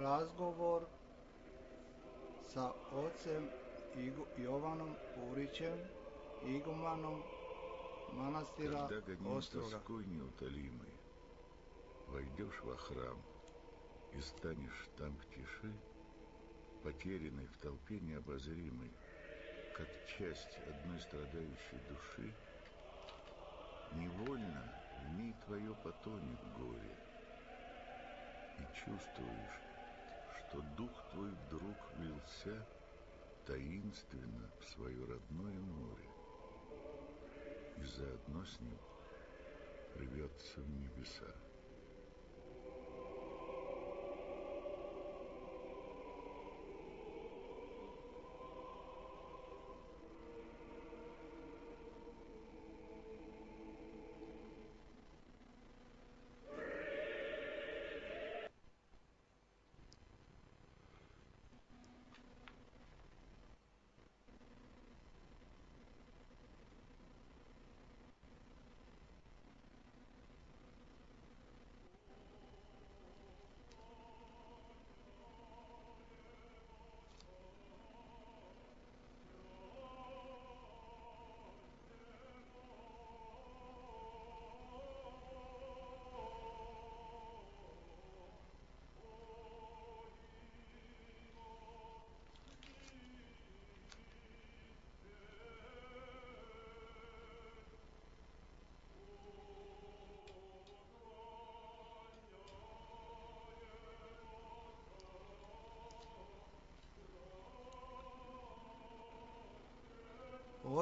razgovor sa ocem Jovanom Purićem, igumanom manastira Когда гоним Острога. тоской неутолимой, войдешь во храм и станешь там в тиши, потерянной в толпе необозримой, как часть одной страдающей души, невольно в ней твое потонет горе, и чувствуешь, что дух твой вдруг влился таинственно в свое родное море и заодно с ним рвется в небеса.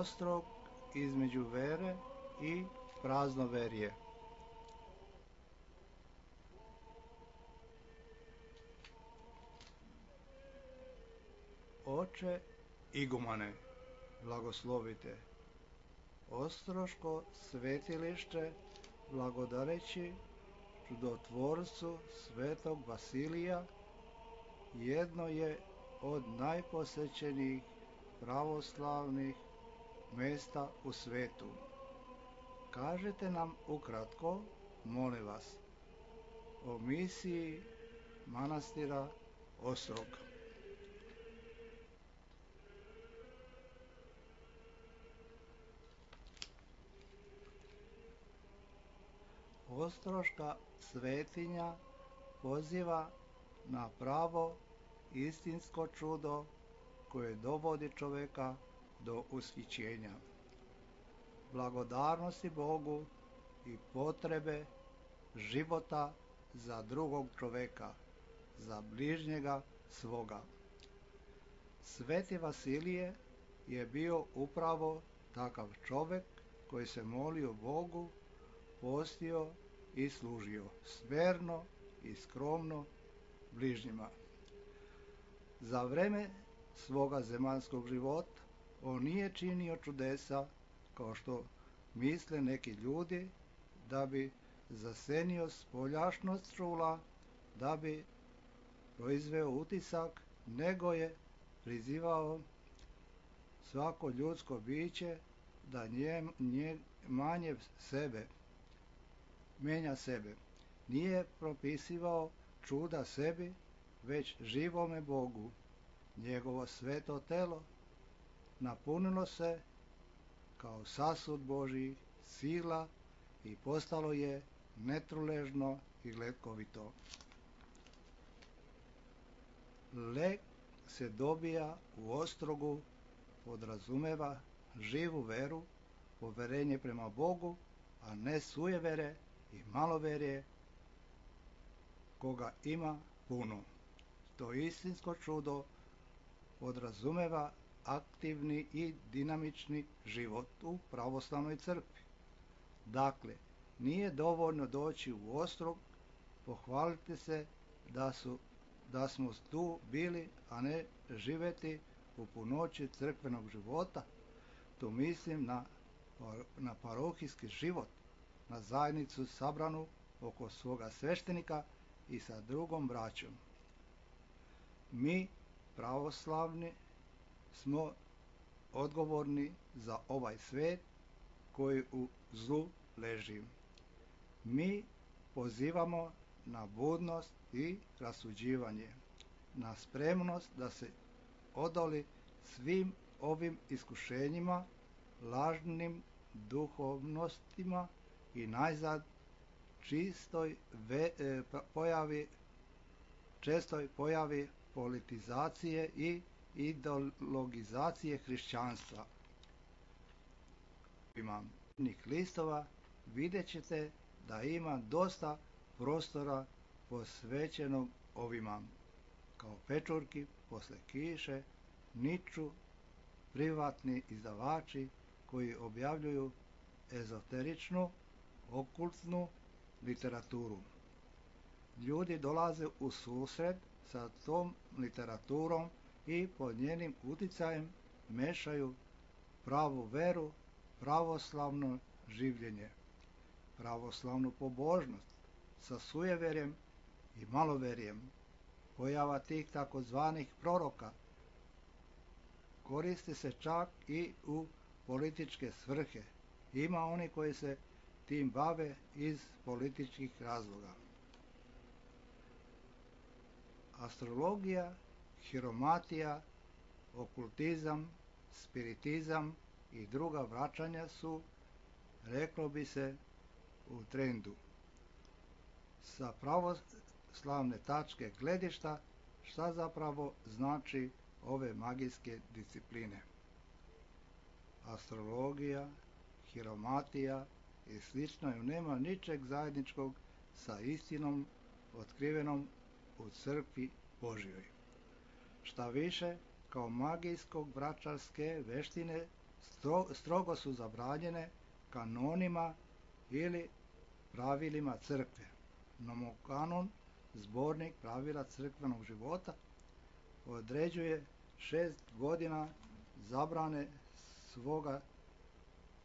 Ostrog između vere i praznoverje. Oče igumane, blagoslovite Ostroško svetilište, blagodareći čudotvorcu svetog Vasilija, jedno je od najposećenijih pravoslavnih mesta u svetu. Kažete nam ukratko, molim vas, o misiji manastira Ostrog. Ostroška svetinja poziva na pravo istinsko čudo koje dovodi čoveka do ushićenja, blagodarnosti Bogu i potrebe života za drugog čoveka, za bližnjega svoga. Sveti Vasilije je bio upravo takav čovek koji se molio Bogu, postio i služio smerno i skromno bližnjima. Za vreme svoga zemaljskog života on nije činio čudesa kao što misle neki ljudi, da bi zasenio spoljašnost čula, da bi proizveo utisak, nego je prizivao svako ljudsko biće da manje sebe, menja sebe. Nije propisivao čuda sebi, već živome Bogu. Njegovo sveto telo napunilo se kao sasud Božjih sila i postalo je netruležno i gletkovito. Lek se dobija u Ostrogu, podrazumeva živu veru, poverenje prema Bogu, a ne sujevere i maloverje koga ima puno. To istinsko čudo podrazumeva aktivni i dinamični život u pravoslavnoj crkvi. Dakle, nije dovoljno doći u Ostrog, pohvaliti se da smo tu bili, a ne živeti u punoći crkvenog života. Tu mislim na parohijski život, na zajednicu sabranu oko svoga sveštenika i sa drugom braćom. Mi, pravoslavni, smo odgovorni za ovaj svet koji u zlu leži. Mi pozivamo na budnost i rasuđivanje. na spremnost da se odoli svim ovim iskušenjima, lažnim duhovnostima i najzad čestoj pojavi politizacije i ideologizacije hrišćanstva. Imam listova, vidjet ćete da ima dosta prostora posvećenog ovima. Kao pečurki posle kiše niču privatni izdavači koji objavljuju ezoteričnu, okultnu literaturu. Ljudi dolaze u susret sa tom literaturom i pod njenim uticajem mešaju pravu veru, pravoslavno življenje, pravoslavnu pobožnost sa sujeverjem i maloverjem. Pojava tih takozvanih proroka koriste se čak i u političke svrhe. Ima oni koji se tim bave iz političkih razloga. Astrologija, hiromatija, okultizam, spiritizam i druga vraćanja su, reklo bi se, u trendu. Sa pravoslavne tačke gledišta, šta zapravo znači ove magijske discipline? Astrologija, hiromatija i slično nema ničeg zajedničkog sa istinom otkrivenom u crkvi Božjoj. Šta više, kao magijsko-vračarske veštine strogo su zabranjene kanonima ili pravilima crkve. Nomokanon, zbornik pravila crkvenog života, određuje 6 godina zabrane svoga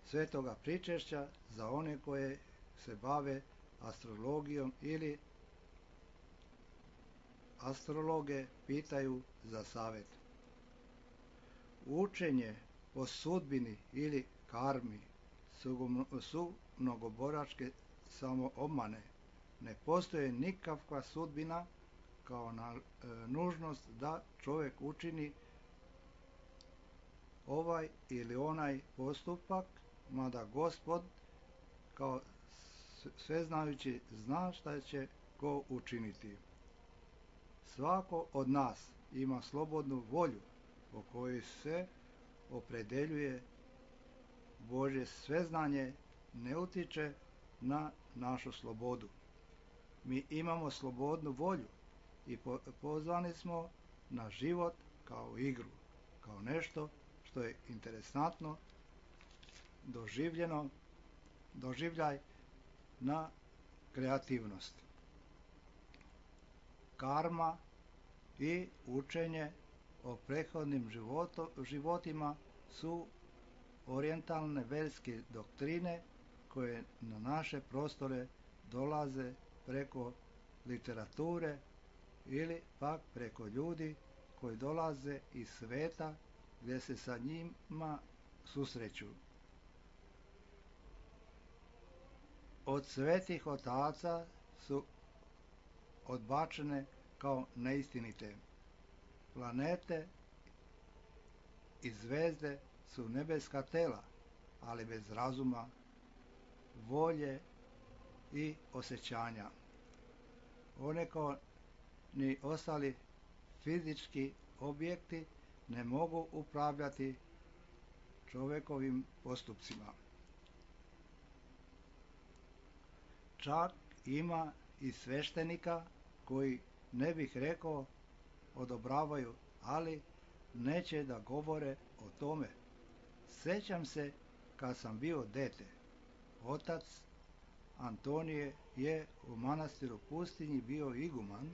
svetoga pričešća za one koje se bave astrologijom ili astrologe pitaju za savjet. Učenje o sudbini ili karmi su mnogoboračke samoobmane. Ne postoji nikakva sudbina kao nužnost da čovjek učini ovaj ili onaj postupak, mada Gospod kao sveznajući zna šta će ko učiniti. Svako od nas ima slobodnu volju po kojoj se opredeljuje. Božje sveznanje ne utiče na našu slobodu. Mi imamo slobodnu volju i pozvani smo na život kao igru, kao nešto što je interesantno, doživljaj na kreativnost. Karma i učenje o prethodnim životima su orijentalne verske doktrine koje na naše prostore dolaze preko literature ili pak preko ljudi koji dolaze iz sveta gdje se sa njima susreću. Od svetih otaca su odbačene kao neistinite. Planete i zvezde su nebeska tela, ali bez razuma, volje i osjećanja. One kao ni ostali fizički objekti ne mogu upravljati čovjekovim postupcima. Čak ima i sveštenika koji, ne bih rekao, odobravaju, ali neće da govore o tome. Sjećam se kad sam bio dete. Otac Antonije je u manastiru Pustinji bio iguman.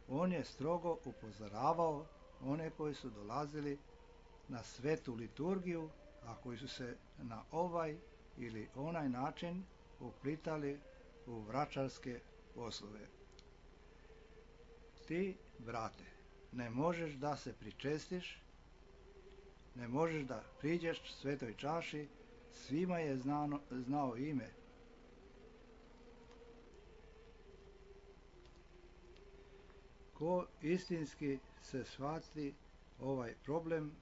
On je strogo upozoravao one koji su dolazili na svetu liturgiju, a koji su se na ovaj ili onaj način uplitali u vračarske poslove. Ti, brate, ne možeš da se pričestiš, ne možeš da priđeš svetoj čaši, svima je znao ime. Ko istinski se shvati ovaj problem,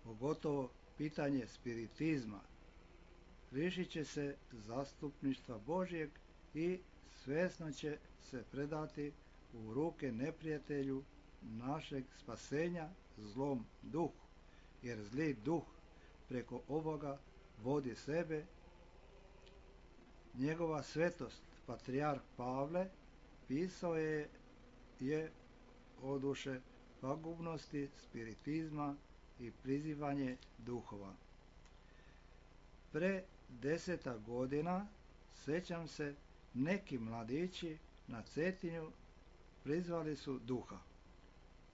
pogotovo pitanje spiritizma, lišit će se zastupništva Božjeg i svjesno će se predati u ruke neprijatelju našeg spasenja, zlom duhu, jer zli duh preko ovoga vodi sebe. Njegova svetost, patrijarh Pavle, pisao je o duše pagubnosti spiritizma i prizivanje duhova. Pre 10 godina, sećam se, neki mladići na Cetinju prizvali su duha.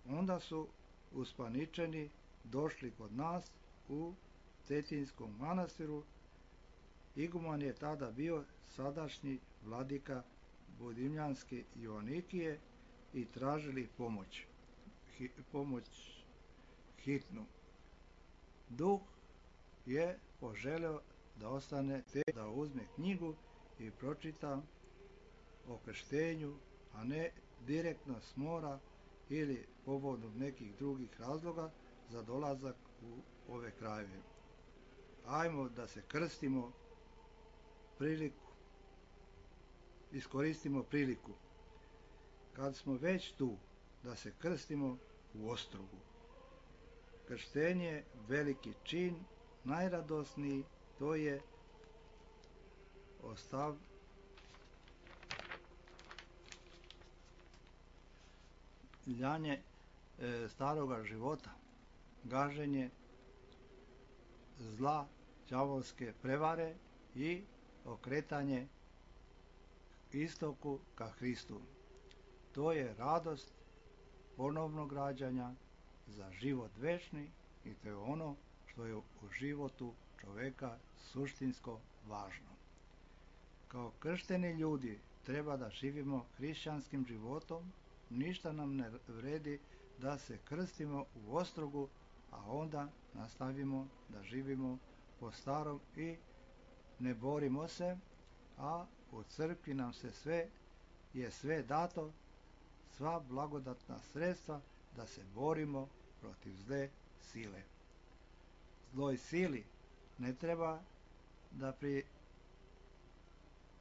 Onda su uspaničeni došli kod nas u Cetinskom manastiru. Iguman je tada bio sadašnji vladika Budimljanske Joanikije i tražili pomoć hitnu. Duh je poželeo da ostane te da uzme knjigu i pročita o krštenju, a ne direktno s mora ili povodom nekih drugih razloga za dolazak u ove krajeve. Ajmo da se krstimo, iskoristimo priliku. Kad smo već tu, da se krstimo u Ostrogu. Krštenje je veliki čin, najradosniji, to je ostavljanje staroga života, gaženje zla, đavolske prevare i okretanje istoku ka Hristu. To je radost ponovnog rađanja za život večni i to je ono što je u životu čoveka suštinsko važno. Kao kršteni ljudi treba da živimo hrišćanskim životom, ništa nam ne vredi da se krstimo u Ostrogu, a onda nastavimo da živimo po starom i ne borimo se, a u crkvi nam se sve dato, sva blagodatna sredstva da se borimo protiv zle sile. Zloj sili ne treba da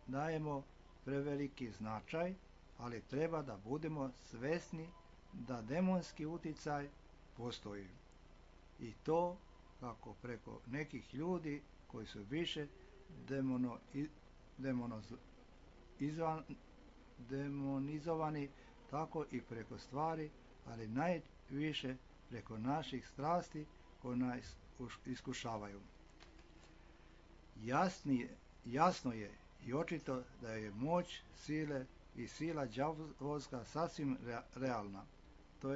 dajemo preveliki značaj, ali treba da budemo svesni da demonski uticaj postoji. I to kako preko nekih ljudi koji su više demonizovani, tako i preko stvari, ali najviše preko naših strasti koje nas iskušavaju. Jasno je i očito da je moć sile i sila đavolska sasvim realna. To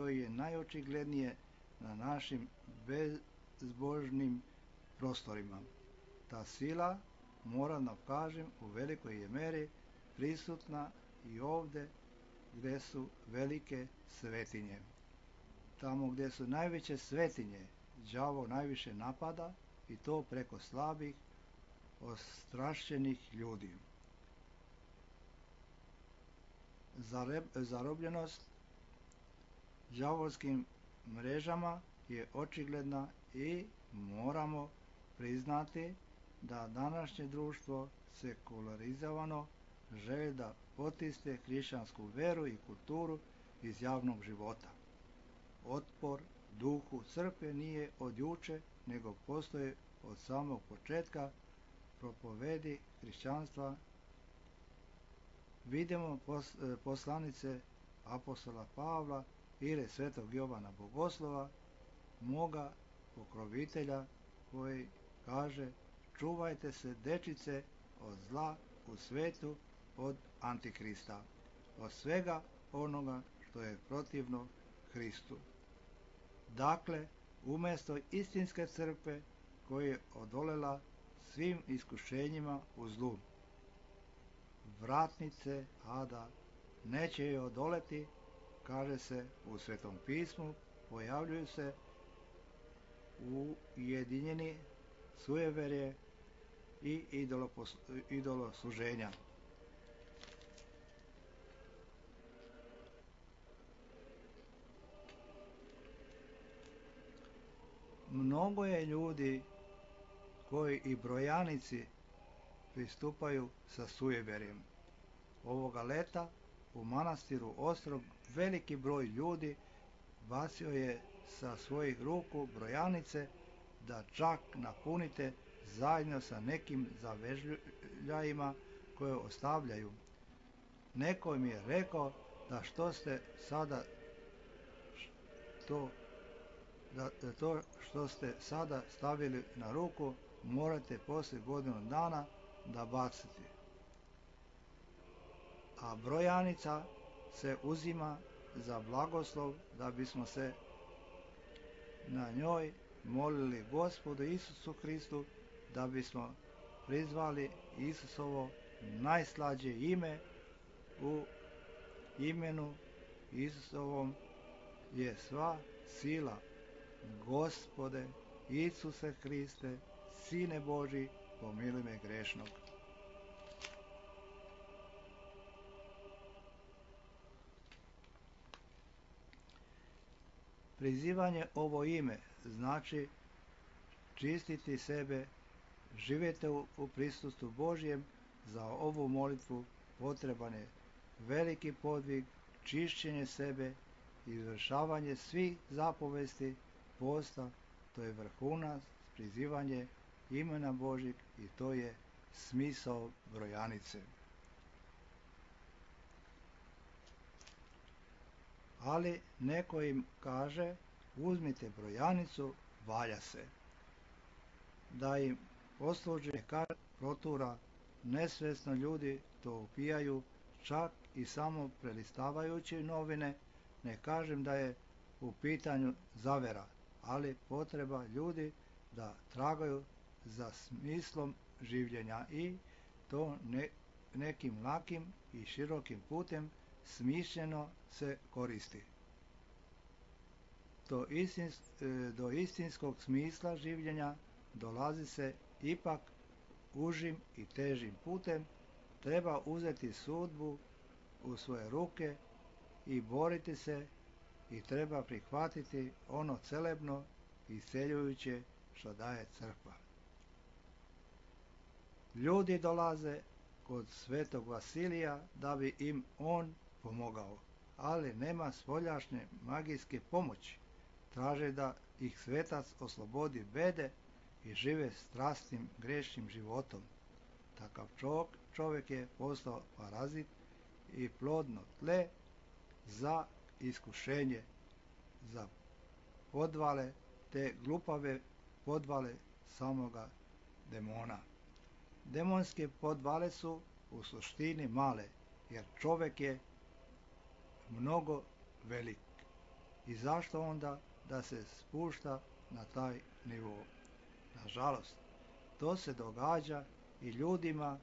je najočiglednije na našim bezbožnim prostorima. Ta sila, moram da kažem, u velikoj je meri prisutna i ovde gde su velike svetinje. Tamo gde su najveće svetinje, đavo najviše napada i to preko slabih, ostrašćenih ljudi. Zarobljenost đavolskim mrežama je očigledna i moramo priznati da današnje društvo sekularizovano želi da potisne hrišćansku veru i kulturu iz javnog života. Otpor duhu crkve nije od juče, nego postoji od samog početka propovedi hrišćanstva. Vidimo poslanice apostola Pavla ili svetog Jovana Bogoslova, moga pokrovitelja, koji kaže: čuvajte se, dečice, od zla u svetu, od Antikrista, od svega onoga što je protivno Hristu. Dakle, umesto istinske crkve koja je odolela svim iskušenjima u zlu, vratnice ada neće je odoleti, kaže se u Svetom pismu, pojavljuju se ujedinjeni sujeverje i idolosluženja. mnogo je ljudi koji i brojanici pristupaju sa sujeverjem. Ovoga leta u manastiru Ostrog veliki broj ljudi bacio je sa svojih ruku brojanice da čak napunite zajedno sa nekim zavežljajima koje ostavljaju. Neko mi je rekao da što ste sada to što ste sada stavili na ruku morate poslije godinu dana da baciti. A brojanica se uzima za blagoslov da bismo se na njoj molili Gospodu Isusu Hristu, da bismo prizvali Isusovo najslađe ime. U imenu Isusovom je sva sila. Gospode Isuse Hriste, Sine Božji, pomiluj me grešnog. Prizivanje ovo ime znači čistiti sebe, živjeti u prisustvu Božjem. Za ovu molitvu potreban je veliki podvig, čišćenje sebe, izvršavanje svih zapovesti posta. To je vrhunac, prizivanje imena Božjeg i to je smisao brojanice. Ali neko im kaže, uzmite brojanicu, valja se. Da im posluži kar protura, nesvjesno ljudi to upijaju, čak i samo prelistavajući novine. Ne kažem da je u pitanju zavera, ali potreba ljudi da tragaju za smislom življenja i to nekim lakim i širokim putem smišljeno se koristi. Do istinskog smisla življenja dolazi se ipak užim i težim putem. Treba uzeti sudbu u svoje ruke i boriti se i treba prihvatiti ono celebno i isceljujuće što daje crkva. Ljudi dolaze kod svetog Vasilija da bi im on pomogao, ali nema spoljašnje magijske pomoći. Traže da ih svetac oslobodi bede i žive strastnim grešnim životom. Takav čovjek je postao parazit i plodno tle za iskušenje, za podvale, te glupave podvale samoga demona. Demonske podvale su u suštini male, jer čovjek je mnogo velik. I zašto onda da se spušta na taj nivo? Nažalost, to se događa i ljudima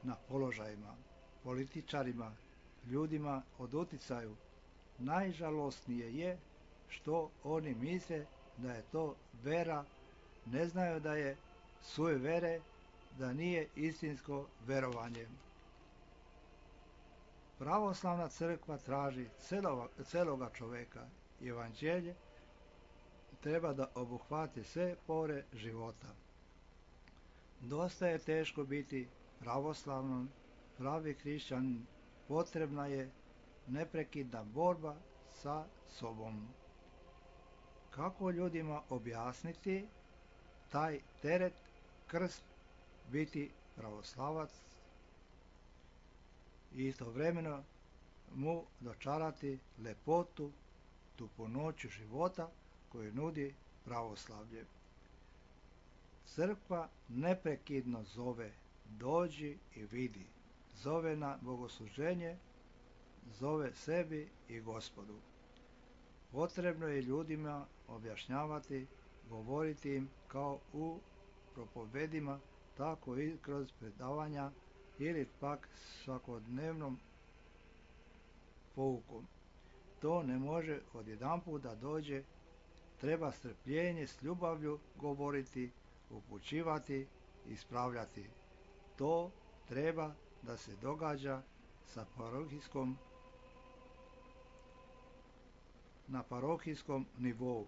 na položajima, političarima, ljudima od uticaju. Najžalosnije je što oni misle da je to vera, ne znaju da je sujevere, da nije istinsko verovanje. Pravoslavna crkva traži celoga čoveka. Evanđelje treba da obuhvati sve pore života. Dosta je teško biti pravoslavnom, pravi hrišćanin. Potrebna je neprekidna borba sa sobom. Kako ljudima objasniti taj teret, krst, biti pravoslavac i istovremeno mu dočarati lepotu, tu punoću života koju nudi pravoslavlje. Crkva neprekidno zove, dođi i vidi, zove na bogosluženje, zove sebi i Gospodu. Potrebno je ljudima objašnjavati, govoriti im kao u propovedima, tako i kroz predavanja ili pak svakodnevnom poukom. To ne može odjedanput da dođe, treba strpljenje s ljubavlju govoriti, upućivati, ispravljati. To treba da se događa na parohijskom nivou.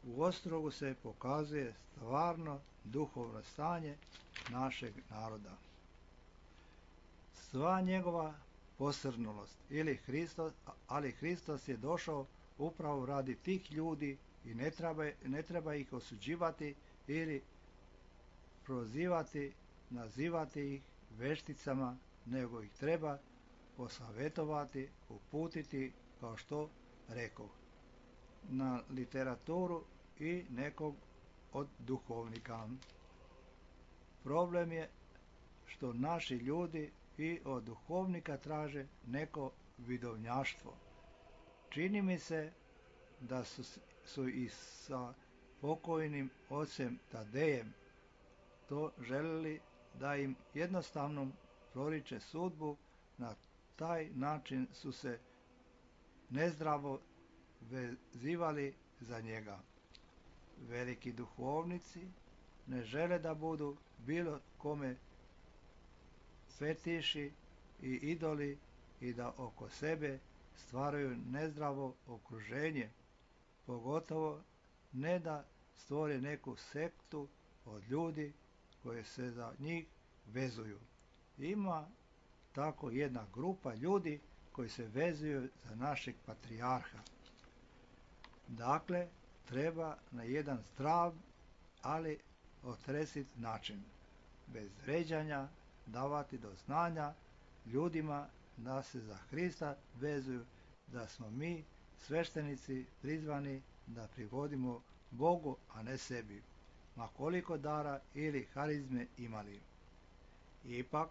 u Ostrogu se pokazuje stvarno duhovno stanje našeg naroda. Sva njegova posrnulost, ali Hristos je došao upravo radi tih ljudi i ne treba ih osuđivati ili prozivati, nazivati ih vešticama, nego ih treba posavjetovati, uputiti, kao što rekoh, na literaturu i nekog od duhovnika. Problem je što naši ljudi i od duhovnika traže neko vidovnjaštvo. Čini mi se da su i sa pokojnim ocem Tadejem to želeli, da im jednostavno proriče sudbu. Na taj način su se nezdravo vezivali za njega. Veliki duhovnici ne žele da budu bilo kome fetiši i idoli i da oko sebe stvaraju nezdravo okruženje, pogotovo ne da stvore neku sektu od ljudi koji se za njih vezuju. Ima tako jedna grupa ljudi koji se vezuju za našeg patrijarha. Dakle, treba na jedan zdrav, ali otresit način, bez vređanja, davati do znanja ljudima da se za Hrista vezuju, da smo mi, sveštenici, prizvani da prigodimo Bogu, a ne sebi, ma koliko dara ili harizme imali. Ipak,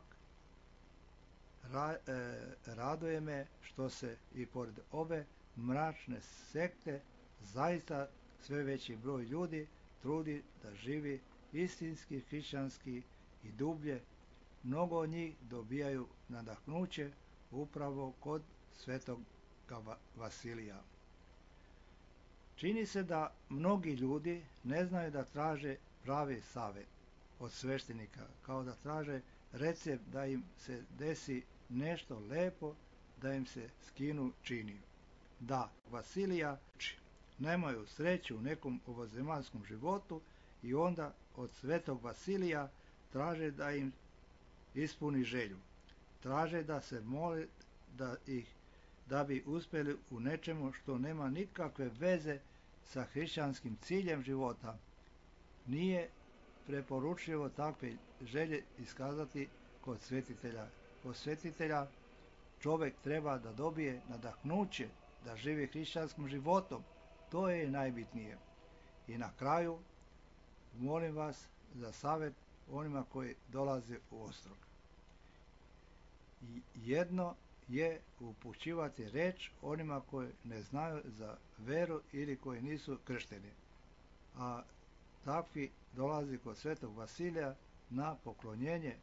raduje me što se i pored ove mračne sekte zaista sve veći broj ljudi trudi da živi istinski hrišćanski i dublje. Mnogo od njih dobijaju nadahnuće upravo kod svetog Vasilija. Čini se da mnogi ljudi ne znaju da traže pravi savjet od sveštenika, kao da traže recept da im se desi nešto lepo, da im se skinu čini. Da, Vasilija nemaju sreću u nekom ovozemaljskom životu i onda od svetog Vasilija traže da im ispuni želju. Traže da se mole da bi uspjeli u nečemu što nema nikakve veze sa hrišćanskim ciljem života. Nije preporučljivo takve želje iskazati kod svetitelja. Kod svetitelja čovjek treba da dobije nadahnuće, da živi hrišćanskim životom. To je najbitnije. I na kraju, molim vas za savjet onima koji dolaze u Ostrog. Jedno je upućivati reč onima koji ne znaju za veru ili koji nisu kršteni, a takvi dolazi kod svetog Vasilija na poklonjenje.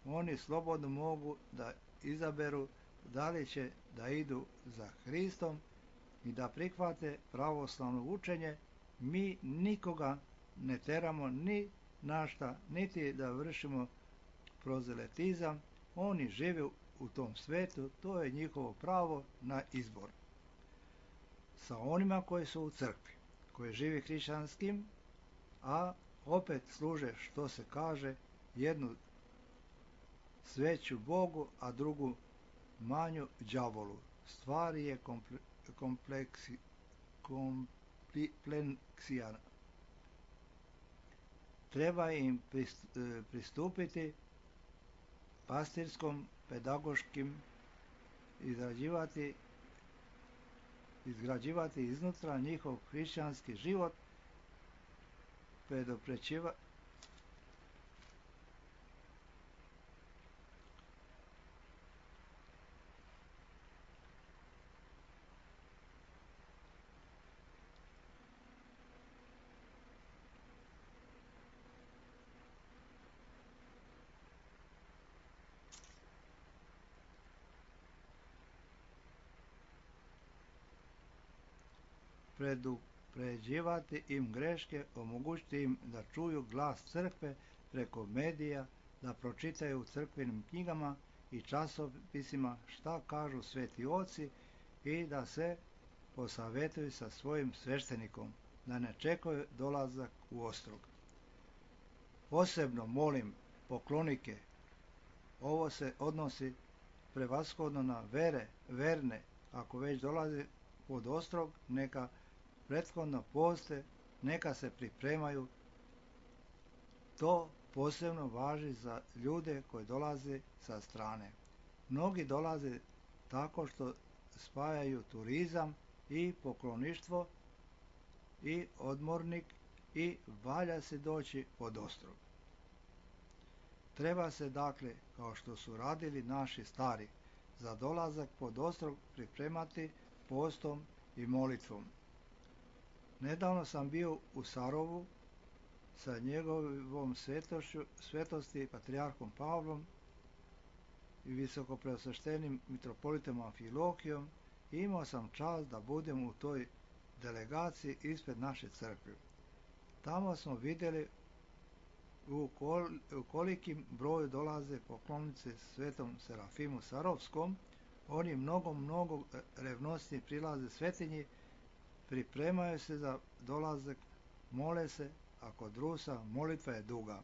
Oni slobodno mogu da izaberu da li će da idu za Hristom i da prihvate pravoslavno učenje. Mi nikoga ne teramo ni na šta, niti da vršimo prozeletizam. Oni žive u tom svetu, to je njihovo pravo na izbor. Sa onima koji su u crkvi, koji živi hrišćanskim, a opet služe, što se kaže, jednu sveću Bogu, a drugu manju đavolu. Stvar je kompleksija. Treba im pristupiti pastirskom, pedagoškim, izgrađivati iznutra njihov hrišćanski život, pređivati im greške, omogućiti im da čuju glas crkve preko medija, da pročitaju u crkvenim knjigama i časopisima šta kažu sveti oci i da se posavjetuju sa svojim sveštenikom. da ne čekaju dolazak u Ostrog. Posebno molim poklonike, ovo se odnosi prevashodno na verne, ako već dolaze pod Ostrog, neka prethodno poste, neka se pripremaju. To posebno važi za ljude koji dolaze sa strane. Mnogi dolaze tako što spajaju turizam i pokloništvo i odmornik i valja se doći pod Ostrog. Treba se dakle, kao što su radili naši stari, za dolazak pod Ostrog pripremati postom i molitvom. Nedavno sam bio u Sarovu sa njegovom svetosti patrijarhom Pavlom i visokopreosveštenim mitropolitom Amfilohijom i imao sam čast da budem u toj delegaciji ispred naše crkve. Tamo smo vidjeli u kolikim broju dolaze poklonice svetom Serafimu Sarovskom. Oni mnogo revnosnije prilaze svetinji, pripremaju se za dolazak, mole se, a kod Rusa molitva je duga.